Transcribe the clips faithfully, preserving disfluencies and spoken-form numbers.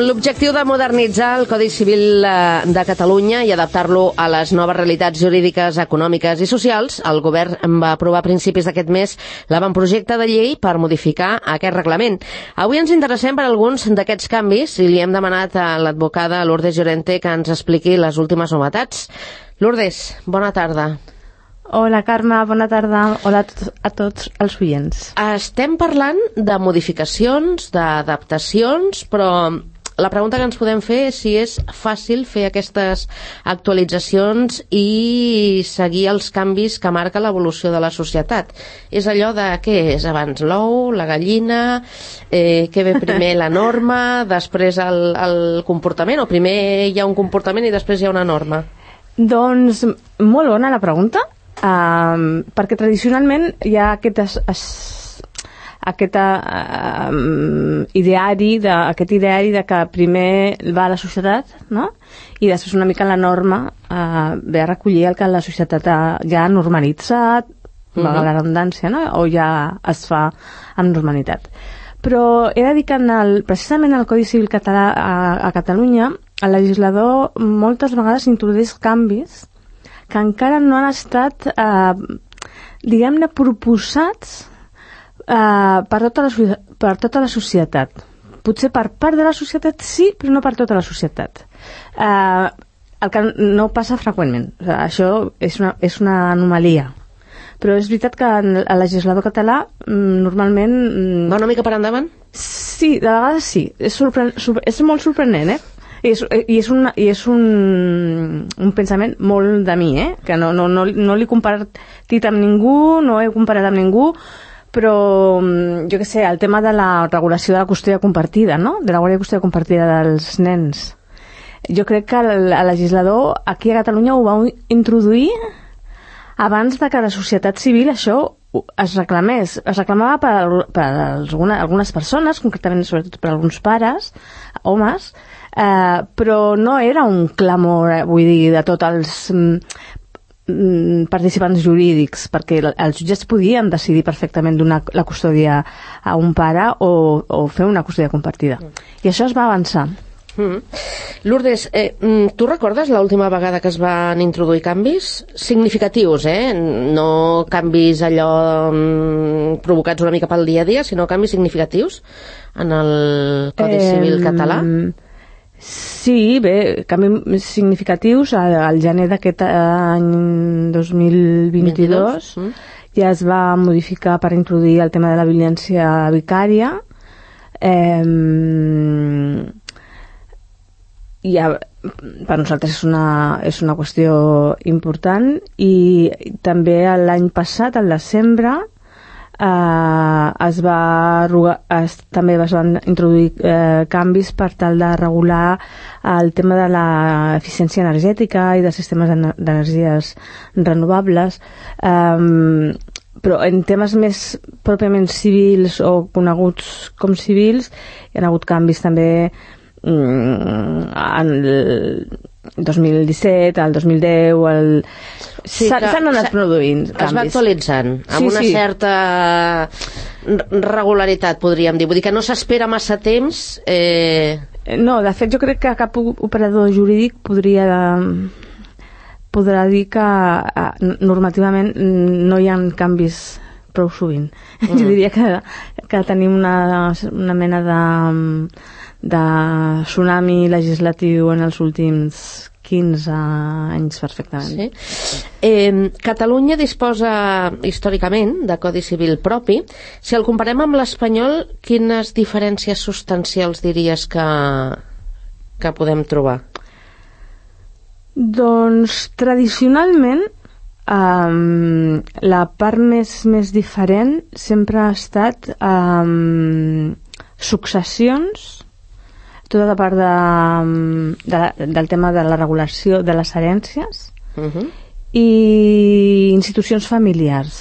Amb l'objectiu de modernitzar el Codi Civil de Catalunya i adaptar-lo a les noves realitats jurídiques, econòmiques i socials, el govern va aprovar a principis d'aquest mes l'avantprojecte de llei per modificar aquest reglament. Avui ens interessem per alguns d'aquests canvis i li hem demanat a l'advocada Lourdes Llorente que ens expliqui les últimes novetats. Lourdes, bona tarda. Hola, Carme, bona tarda. Hola a tots, a tots els oients. Estem parlant de modificacions, d'adaptacions, però la pregunta que ens podem fer és si és fàcil fer aquestes actualitzacions i seguir els canvis que marca l'evolució de la societat. És allò de què és abans l'ou, la gallina, eh, què ve primer la norma, després el, el comportament, o primer hi ha un comportament i després hi ha una norma? Doncs molt bona la pregunta. Um, perquè tradicionalment hi ha aquest, es, es, aquest um, ideari de, aquest ideari de que primer va a la societat, no? I després una mica la norma uh, ve a recollir el que la societat ha, ja ha normalitzat, uh-huh. va la redundància, no? O ja es fa amb normalitat. Però he de dir que en el, precisament el Codi Civil català a, a Catalunya el legislador moltes vegades introdueix canvis que encara no han estat, eh, diguem-ne, proposats eh, per, tota la, per tota la societat. Potser per part de la societat sí, però no per tota la societat. Eh, el que no passa freqüentment. O sigui, això és una, és una anomalia. Però és veritat que el legislador català normalment... Va una mica per endavant? Sí, de vegades sí. És, sorpre... és molt sorprenent, eh? I és, i és, un, i és un, un pensament molt de mi, eh? Que no, no, no, no l'he compartit amb ningú, no he comparat amb ningú, però jo què sé, el tema de la regulació de la custòdia compartida, no? De la guàrdia de custòdia compartida dels nens. Jo crec que el, el legislador aquí a Catalunya ho va introduir abans de que la societat civil això es reclamés. Es reclamava per, per alguna, algunes persones, concretament sobretot per alguns pares, homes, Uh, però no era un clamor, eh, vull dir, de tots els mm, participants jurídics, perquè els jutges podien decidir perfectament donar la custòdia a un pare o, o fer una custòdia compartida. Mm. I això es va avançar. Mm. Lourdes, eh, tu recordes l'última vegada que es van introduir canvis significatius, eh? No canvis allò mm, provocats una mica pel dia a dia, sinó canvis significatius en el Codi eh, Civil català? Sí, bé, canvis significatius. Al, al gener d'aquest any dos mil vint-i-dos mm. ja es va modificar per introduir el tema de la violència vicària. Eh, ja, per nosaltres és una, és una qüestió important, i també l'any passat, al desembre, Uh, es va es, també es van introduir uh, canvis per tal de regular el tema de l'eficiència energètica i de sistemes d'energies renovables, um, però en temes més pròpiament civils o coneguts com civils hi ha hagut canvis també um, en el dos mil disset, el dos mil deu, el... Sí, s'han anat produint canvis. Es va actualitzant, amb sí, una sí. certa regularitat, podríem dir. Vull dir que no s'espera massa temps. Eh... No, de fet, jo crec que cap operador jurídic podria podrà dir que normativament no hi ha canvis prou sovint. Mm. Jo diria que, que tenim una, una mena de... de tsunami legislatiu en els últims quinze anys perfectament. Sí. Eh, Catalunya disposa històricament de Codi Civil propi. Si el comparem amb l'espanyol, quines diferències substancials diries que, que podem trobar? Doncs tradicionalment um, la part més, més diferent sempre ha estat um, successions, tota la part de, de, del tema de la regulació de les herències uh-huh. i institucions familiars.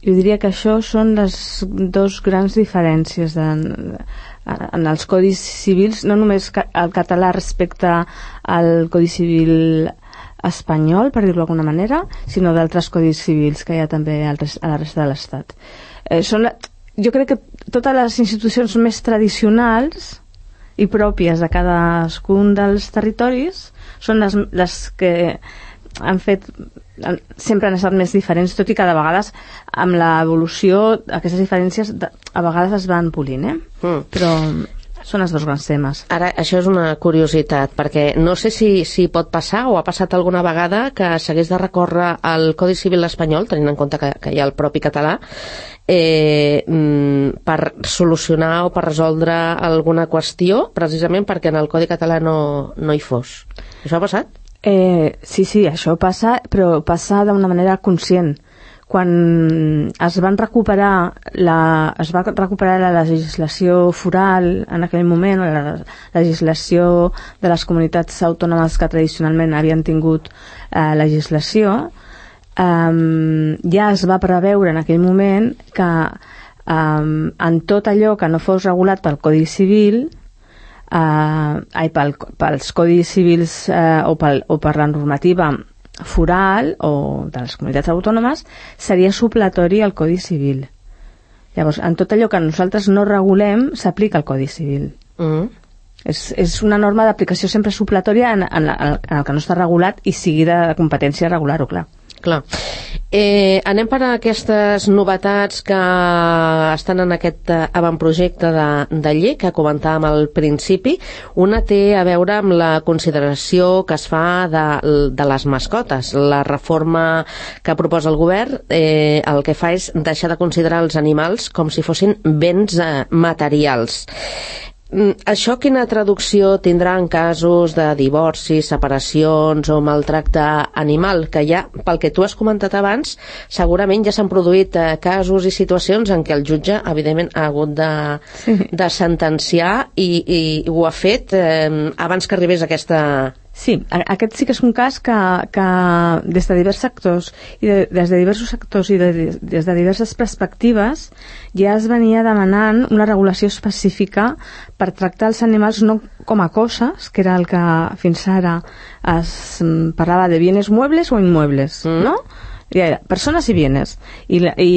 Jo diria que això són les dues grans diferències de, en els codis civils, no només el català respecte al Codi Civil espanyol, per dir-ho d'alguna manera, sinó d'altres codis civils que hi ha també a la resta de l'Estat. Eh, són, jo crec que totes les institucions més tradicionals i pròpies de cadascun dels territoris són les, les que han fet, sempre han estat més diferents, tot i que de vegades amb l'evolució aquestes diferències a vegades es van polint, eh? Mm. Però són els dos grans temes. Ara, això és una curiositat, perquè no sé si, si pot passar o ha passat alguna vegada que s'hagués de recórrer al Codi Civil espanyol, tenint en compte que, que hi ha el propi català, eh, per solucionar o per resoldre alguna qüestió, precisament perquè en el Codi català no, no hi fos. Això ha passat? Eh, sí, sí, això passa, però passa d'una manera conscient. Quan es van recuperar la, es va recuperar la legislació foral en aquell moment, la legislació de les comunitats autònomes que tradicionalment havien tingut eh, legislació, eh, ja es va preveure en aquell moment que eh, en tot allò que no fos regulat pel Codi Civil, eh, ai, pel, pels codis civils eh, o, pel, o per la normativa foral o de les comunitats autònomes, seria supletori al Codi Civil. Llavors, en tot allò que nosaltres no regulem s'aplica el Codi Civil. Mm. És, és una norma d'aplicació sempre supletòria en, en, en, en el que no està regulat i sigui de competència regular-ho, clar. Clar. Eh, anem per a aquestes novetats que estan en aquest avantprojecte de, de llei que comentàvem al principi. Una té a veure amb la consideració que es fa de, de les mascotes. La reforma que proposa el govern eh, el que fa és deixar de considerar els animals com si fossin béns eh, materials. Això quina traducció tindrà en casos de divorcis, separacions o maltracte animal? Que ja, pel que tu has comentat abans, segurament ja s'han produït eh, casos i situacions en què el jutge, evidentment, ha hagut de, sí. de sentenciar i, i ho ha fet eh, abans que arribés aquesta... Sí, aquest sí que és un cas que, que des de diversos sectors i de, des de diversos sectors i de, des de diverses perspectives ja es venia demanant una regulació específica per tractar els animals no com a coses, que era el que fins ara es parlava de bienes muebles o inmuebles, mm. no? Ja era persones i bienes. I, i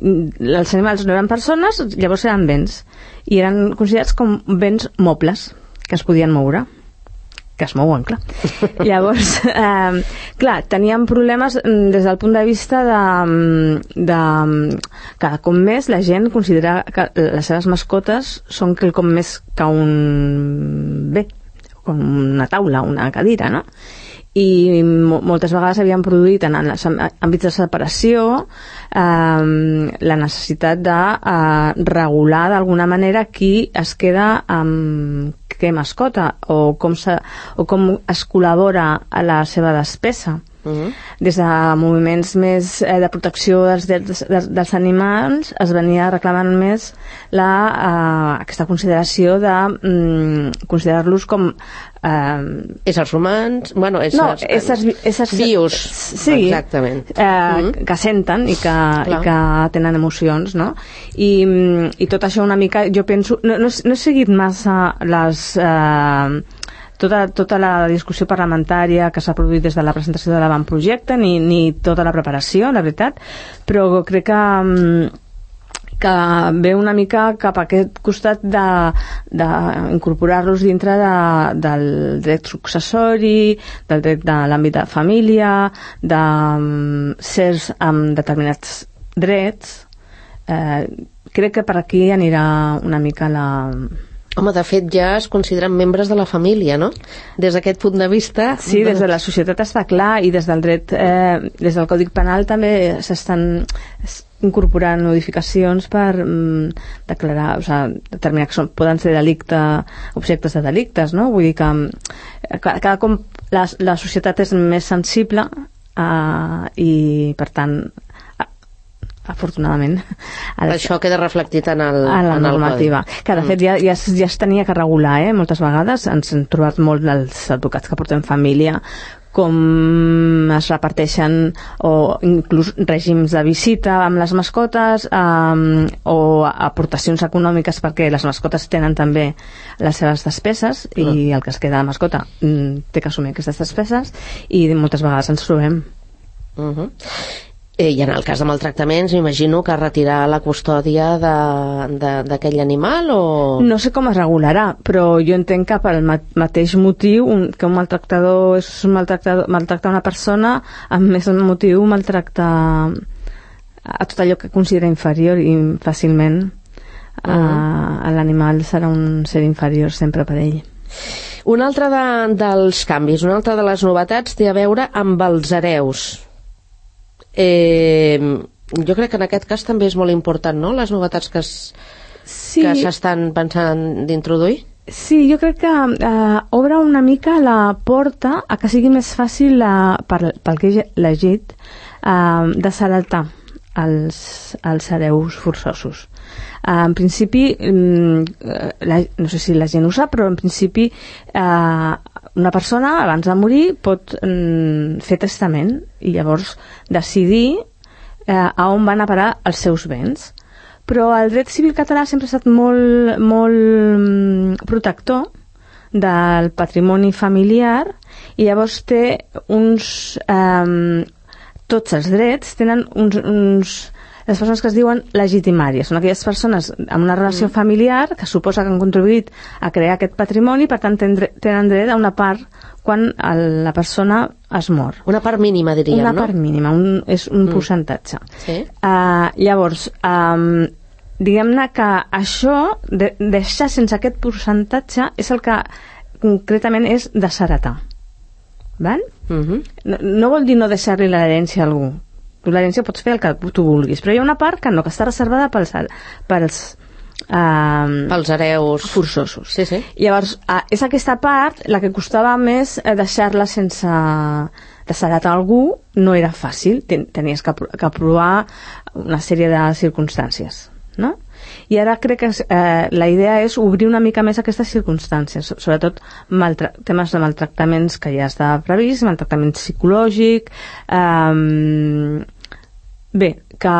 els animals no eren persones, llavors eren béns. I eren considerats com béns mobles que es podien moure. Que es mouen, clar. Llavors, eh, clar, teníem problemes des del punt de vista de, de cada cop més la gent considera que les seves mascotes són quelcom més que un bé, com una taula, una cadira, no? I moltes vegades havien produït en els àmbits de separació eh, la necessitat de eh, regular d'alguna manera qui es queda amb què mascota o com, se, o com es col·labora a la seva despesa. Uh-huh. Des de moviments més eh, de protecció dels, dels, dels animals es venia reclamant més la, eh, aquesta consideració de mm, considerar-los com eh, éssers humans, bueno, éssers, no, éssers, éssers vius, sí, exactament, eh, uh-huh. que senten i que, i que tenen emocions, no? I, i tot això una mica, jo penso, no, no, no he seguit massa les... Eh, Tota, tota la discussió parlamentària que s'ha produït des de la presentació de l'avantprojecte ni, ni tota la preparació, la veritat, però crec que, que ve una mica cap a aquest costat d'incorporar-los dintre de, del dret successori, del dret de l'àmbit de família, de sers amb determinats drets. Eh, crec que per aquí anirà una mica la... Home, de fet ja es consideren membres de la família, no? Des d'aquest punt de vista... Sí, des de la societat està clar i des del dret, eh, des del Codi Penal també s'estan incorporant modificacions per mm, declarar, o sigui, determinar que són, poden ser delicte, objectes de delictes, no? Vull dir que cada, cada com la, la societat és més sensible eh, i per tant afortunadament això queda reflectit en, el, en la en normativa el que de fet ja, ja, ja es tenia que regular, eh? Moltes vegades ens hem trobat molt els advocats que portem família com es reparteixen o inclús règims de visita amb les mascotes um, o aportacions econòmiques perquè les mascotes tenen també les seves despeses i mm. el que es queda de mascota mm, té que assumir aquestes despeses i moltes vegades ens trobem. Uh-huh. Eh, I en el cas de maltractaments, m'imagino que retirar la custòdia d'aquell animal o... No sé com es regularà, però jo entenc que pel mateix motiu un, que un maltractador és un maltractador, maltractar una persona, amb més motiu maltractar a tot allò que considera inferior, i fàcilment uh -huh. uh, l'animal serà un ser inferior sempre per ell. Un altre de, dels canvis, una altra de les novetats té a veure amb els hereus. Eh, jo crec que en aquest cas també és molt important, no?, les novetats que es, sí. que s'estan pensant d'introduir. Sí, jo crec que eh, obre una mica la porta a que sigui més fàcil, la, per, pel que he llegit, eh, de saltar els, els hereus forçosos. Eh, en principi, la, no sé si la gent ho sap, però en principi eh, una persona abans de morir pot mm, fer testament i llavors decidir eh, a on van a parar els seus béns. Però el dret civil català sempre ha estat molt, molt protector del patrimoni familiar i llavors té uns... Eh, tots els drets tenen uns... uns les persones que es diuen legitimàries són aquelles persones amb una relació familiar que suposa que han contribuït a crear aquest patrimoni, per tant tenen dret a una part quan la persona es mor. Una part mínima, diríem, una no? Una part mínima, un, és un mm. percentatge. Sí. Uh, llavors, um, diguem-ne que això, de, deixar sense aquest percentatge, és el que concretament és desheretar. Val? Mm-hmm. No, no vol dir no deixar-li l'herència a algú. Tu l'herència pots fer el que tu vulguis, però hi ha una part que no, que està reservada pels, pels, uh, pels hereus forçosos. Sí, sí. Llavors, uh, és aquesta part la que costava més eh, deixar-la sense desheretar algú, no era fàcil, Ten, tenies que, que provar una sèrie de circumstàncies, no? I ara crec que eh, la idea és obrir una mica més aquestes circumstàncies, sobretot temes de maltractaments que ja està previst, maltractament psicològic, eh, bé, que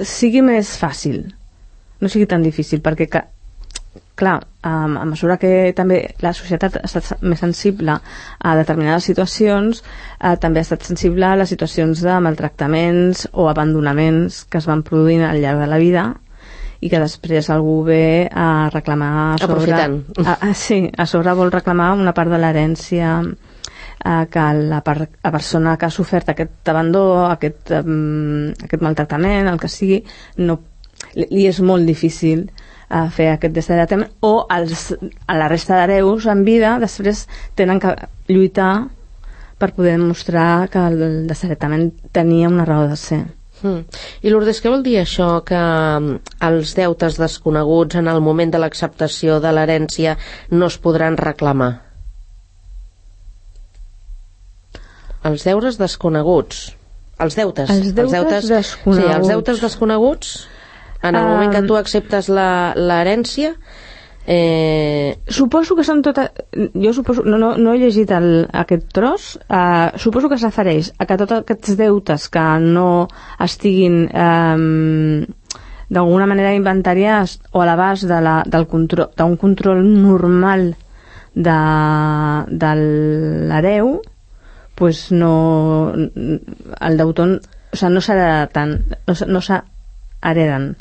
sigui més fàcil, no sigui tan difícil, perquè que, clar, a mesura que també la societat ha estat més sensible a determinades situacions, eh, també ha estat sensible a les situacions de maltractaments o abandonaments que es van produint al llarg de la vida i que després algú ve a reclamar a sobre, aprofitant a, a, sí, a sobre vol reclamar una part de l'herència eh, que la, per, la persona que ha sofert aquest abandó, aquest, um, aquest maltractament, el que sigui, no, li, li és molt difícil eh, fer aquest desheretament, o els, a la resta d'hereus en vida després tenen que lluitar per poder demostrar que el desheretament tenia una raó de ser. Mm. I Lourdes, què vol dir això que els deutes desconeguts en el moment de l'acceptació de l'herència no es podran reclamar? Els deures desconeguts els deutes els deutes, els deutes desconeguts sí, els deutes desconeguts en el um, moment que tu acceptes l'herència. Eh... Suposo que són totes... Jo suposo... No, no, no he llegit el, aquest tros. Uh, suposo que es refereix a que tots aquests deutes que no estiguin um, d'alguna manera inventariats o a l'abast de la, del control, d'un control normal de, de l'hereu, pues no... El deutor... O sigui, no s'hereda tant. No, no s'hereden.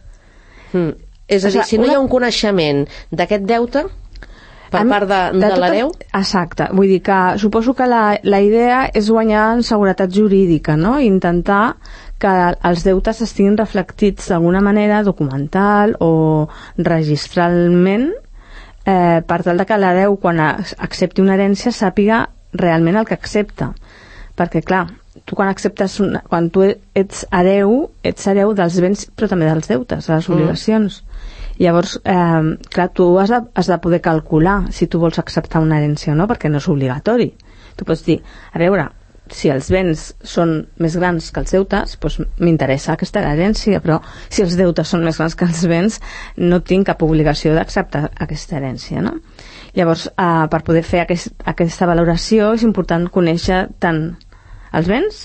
Mm. És a dir, si no hi ha un coneixement d'aquest deute per part de, de, de l'hereu... Exacte, vull dir que suposo que la, la idea és guanyar en seguretat jurídica, no? I intentar que els deutes estiguin reflectits d'alguna manera documental o registralment eh, per tal de que l'hereu, quan accepti una herència, sàpiga realment el que accepta. Perquè, clar, tu quan acceptes una, quan tu ets hereu, ets hereu dels béns però també dels deutes, de les obligacions. Mm. Llavors, eh, clar, tu has de, has de poder calcular si tu vols acceptar una herència o no, perquè no és obligatori. Tu pots dir, a veure, si els béns són més grans que els deutes, doncs m'interessa aquesta herència, però si els deutes són més grans que els béns, no tinc cap obligació d'acceptar aquesta herència, no? Llavors, eh, per poder fer aquest, aquesta valoració és important conèixer tant els béns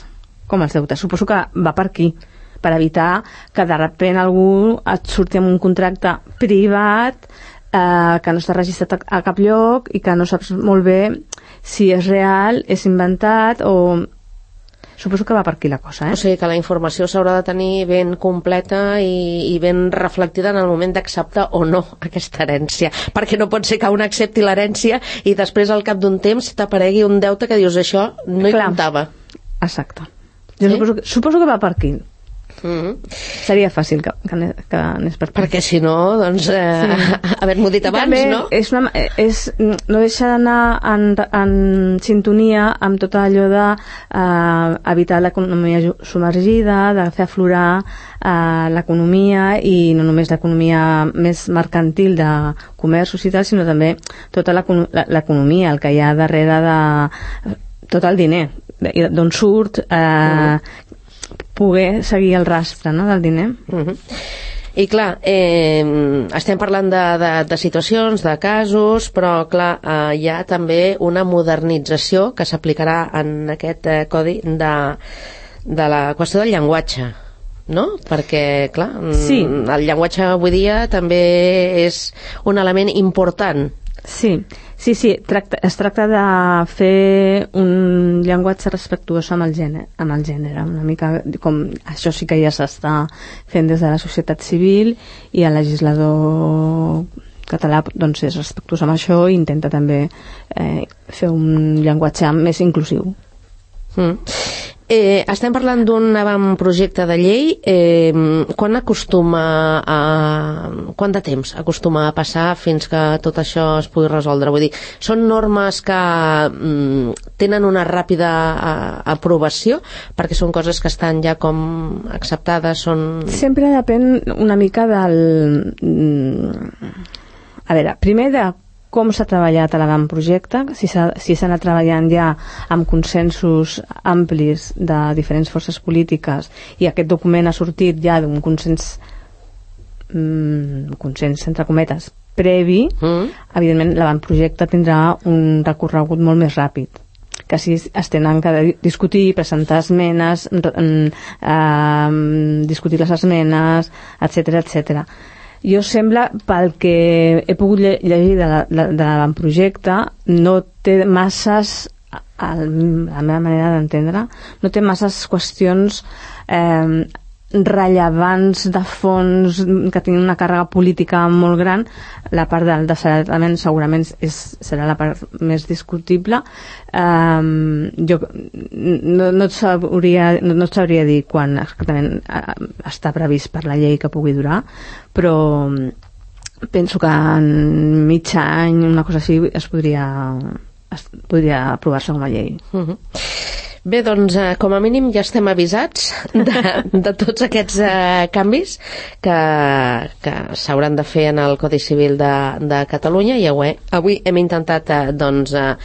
com els deutes. Suposo que va per aquí, per evitar que de sobte algú et surti amb un contracte privat eh, que no està registrat a, a cap lloc i que no saps molt bé si és real, és inventat o... suposo que va per aquí la cosa, eh? O sigui que la informació s'haurà de tenir ben completa i, i ben reflectida en el moment d'acceptar o no aquesta herència, perquè no pot ser que un accepti l'herència i després al cap d'un temps t'aparegui un deute que dius això no hi Clar. comptava. Exacte. Jo Sí? suposo, que, suposo que va per aquí. Mm-hmm. Seria fàcil que, que, ane- que anés per aquí. Perquè si no, doncs, eh, sí. haver-m'ho dit I abans, també no? És una, és, no deixa d'anar en, en sintonia amb tot allò de eh, evitar l'economia ju- submergida, de fer aflorar eh, l'economia, i no només l'economia més mercantil de comerços i tal, sinó també tota l'econo- l'economia, el que hi ha darrere de tot el diner, de- d'on surt, eh, poder seguir el rastre, no?, del diner. Uh-huh. I clar, eh, estem parlant de, de, de situacions, de casos, però clar, eh, hi ha també una modernització que s'aplicarà en aquest eh, codi de, de la qüestió del llenguatge, no? Perquè, clar, Sí. el llenguatge avui dia també és un element important. Sí, sí, sí, tracta, es tracta de fer un llenguatge respectuós amb el gènere, amb el gènere, una mica com això sí que ja s'està fent des de la societat civil, i el legislador català doncs és respectuós amb això i intenta també eh, fer un llenguatge més inclusiu. Mm. Eh, estem parlant d'un avantprojecte de llei. Eh, quan acostuma a... Quant de temps acostuma a passar fins que tot això es pugui resoldre? Vull dir, són normes que mm, tenen una ràpida a, aprovació, perquè són coses que estan ja com acceptades, són... Sempre depèn una mica del... mm, A veure, primer de com s'ha treballat a l'avantprojecte, si s'ha si s'ha anat treballant ja amb consensos amplis de diferents forces polítiques, i aquest document ha sortit ja d'un consens mm, consens entre cometes previ, Mm. evidentment l'avantprojecte tindrà un recorregut molt més ràpid, que si es tenen que discutir, presentar esmenes, eh, discutir les esmenes, etcètera, etcètera. Jo sembla, pel que he pogut lle- llegir de la- de l'avantprojecte, no té masses, a la meva manera d'entendre, no té masses qüestions eh, rellevants de fons que tinguin una càrrega política molt gran. La part del desheretament segurament és, serà la part més discutible. Um, jo no, no, et sabria, no, no et sabria dir quan exactament uh, està previst per la llei que pugui durar, però penso que en mig any, una cosa així, es podria, es podria aprovar-se com a llei. Uh-huh. Bé, doncs, eh, com a mínim ja estem avisats de, de tots aquests eh, canvis que, que s'hauran de fer en el Codi Civil de, de Catalunya, i avui, avui hem intentat eh, doncs, eh,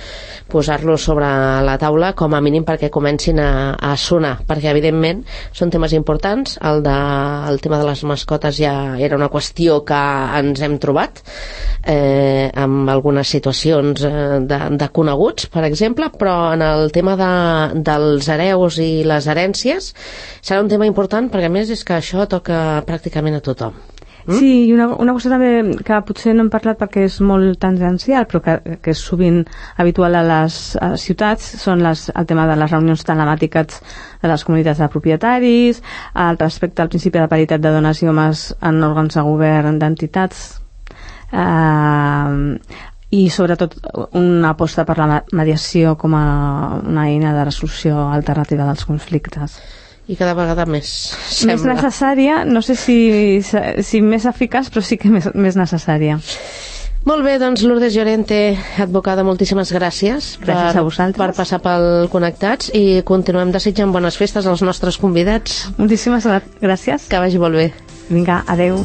posar-los sobre la taula, com a mínim perquè comencin a, a sonar, perquè evidentment són temes importants. El, de, el tema de les mascotes ja era una qüestió que ens hem trobat eh, amb algunes situacions eh, de, de coneguts, per exemple, però en el tema de, dels hereus i les herències serà un tema important, perquè a més és que això toca pràcticament a tothom. Mm? Sí, i una, una cosa també que potser no hem parlat perquè és molt tangencial, però que, que és sovint habitual a les a ciutats, són les, el tema de les reunions telemàtiques de les comunitats de propietaris, el respecte al principi de paritat de dones i homes en òrgans de govern d'entitats, eh, i sobretot una aposta per la mediació com a una eina de resolució alternativa dels conflictes. I cada vegada més sembla. Més necessària, no sé si, si més eficaç, però sí que més, més necessària. Molt bé, doncs Lourdes Llorente, advocada, moltíssimes gràcies, Gràcies per, a vosaltres. per passar pel Connectats, i continuem desitjant bones festes als nostres convidats. Moltíssimes gràcies. Que vagi molt bé. Vinga, adeu.